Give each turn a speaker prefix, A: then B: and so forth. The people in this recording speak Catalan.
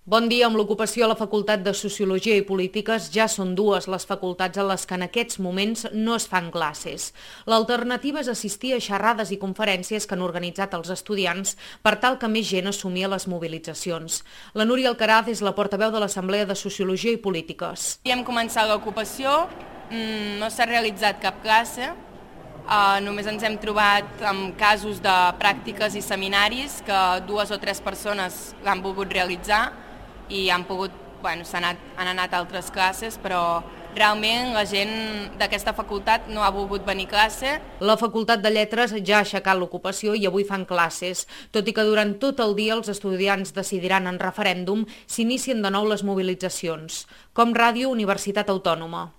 A: Bon dia. Amb l'ocupació a la Facultat de Sociologia i Polítiques ja són dues les facultats en les que en aquests moments no es fan classes. L'alternativa és assistir a xerrades i conferències que han organitzat els estudiants per tal que més gent assumir les mobilitzacions. La Núria Alcaraz és la portaveu de l'Assemblea de Sociologia i Polítiques.
B: Hem començat l'ocupació, no s'ha realitzat cap classe, només ens hem trobat amb casos de pràctiques i seminaris que 2 o 3 persones l'han volgut realitzar i han anat a altres classes, però realment la gent d'aquesta facultat no ha volgut venir a classe.
A: La Facultat de Lletres ja ha aixecat l'ocupació i avui fan classes, tot i que durant tot el dia els estudiants decidiran en referèndum si inicien de nou les mobilitzacions. Com Ràdio, Universitat Autònoma.